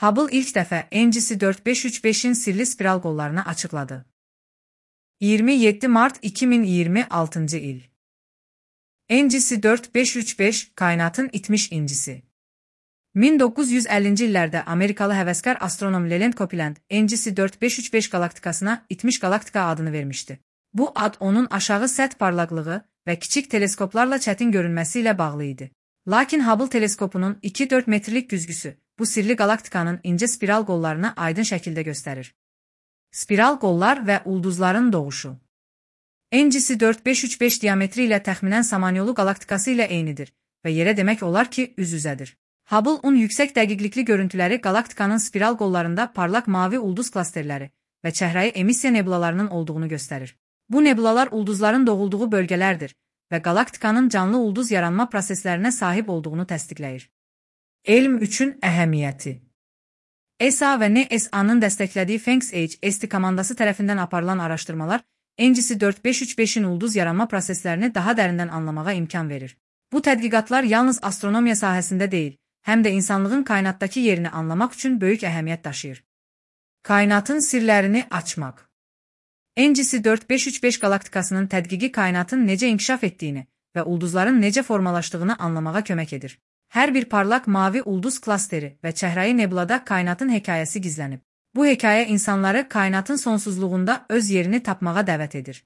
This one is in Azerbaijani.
Hubble ilk dəfə NGC 4535-in sirli spiral qollarını açıqladı. 27 Mart 2026 il. NGC 4535 kainatın itmiş incisi. 1950-ci illərdə Amerikalı həvəskar astronom Leland Copeland NGC 4535 galaktikasına itmiş galaktika adını vermişdi. Bu ad onun aşağı səth parlaqlığı və kiçik teleskoplarla çətin görünməsi ilə bağlı idi. Lakin Hubble teleskopunun 2-4 metrlik güzgüsü bu sirli galaktikanın incə spiral qollarını aydın şəkildə göstərir. Spiral qollar və ulduzların doğuşu. NGC 4535 diametri ilə təxminən Samanyolu galaktikası ilə eynidir və yerə demək olar ki, üz-üzədir. Hubble-un yüksək dəqiqlikli görüntüləri galaktikanın spiral qollarında parlaq mavi ulduz klasterləri və çəhrayı emissiya nebulalarının olduğunu göstərir. Bu nebulalar ulduzların doğulduğu bölgələrdir və galaktikanın canlı ulduz yaranma proseslərinə sahib olduğunu təsdiqləyir. Elm üçün əhəmiyyəti. ESA və NSA-nın dəstəklədiyi PHENX-HST komandası tərəfindən aparılan araşdırmalar NGC 4535-in ulduz yaranma proseslərini daha dərindən anlamağa imkan verir. Bu tədqiqatlar yalnız astronomiya sahəsində deyil, həm də insanlığın kainatdakı yerini anlamaq üçün böyük əhəmiyyət daşıyır. Kainatın sirlərini açmaq. NGC 4535 galaktikasının tədqiqi kainatın necə inkişaf etdiyini və ulduzların necə formalaşdığını anlamağa kömək edir. Hər bir parlaq mavi ulduz klasteri və çəhrayı nebulada kainatın hekayəsi gizlənib. Bu hekayə insanları kainatın sonsuzluğunda öz yerini tapmağa dəvət edir.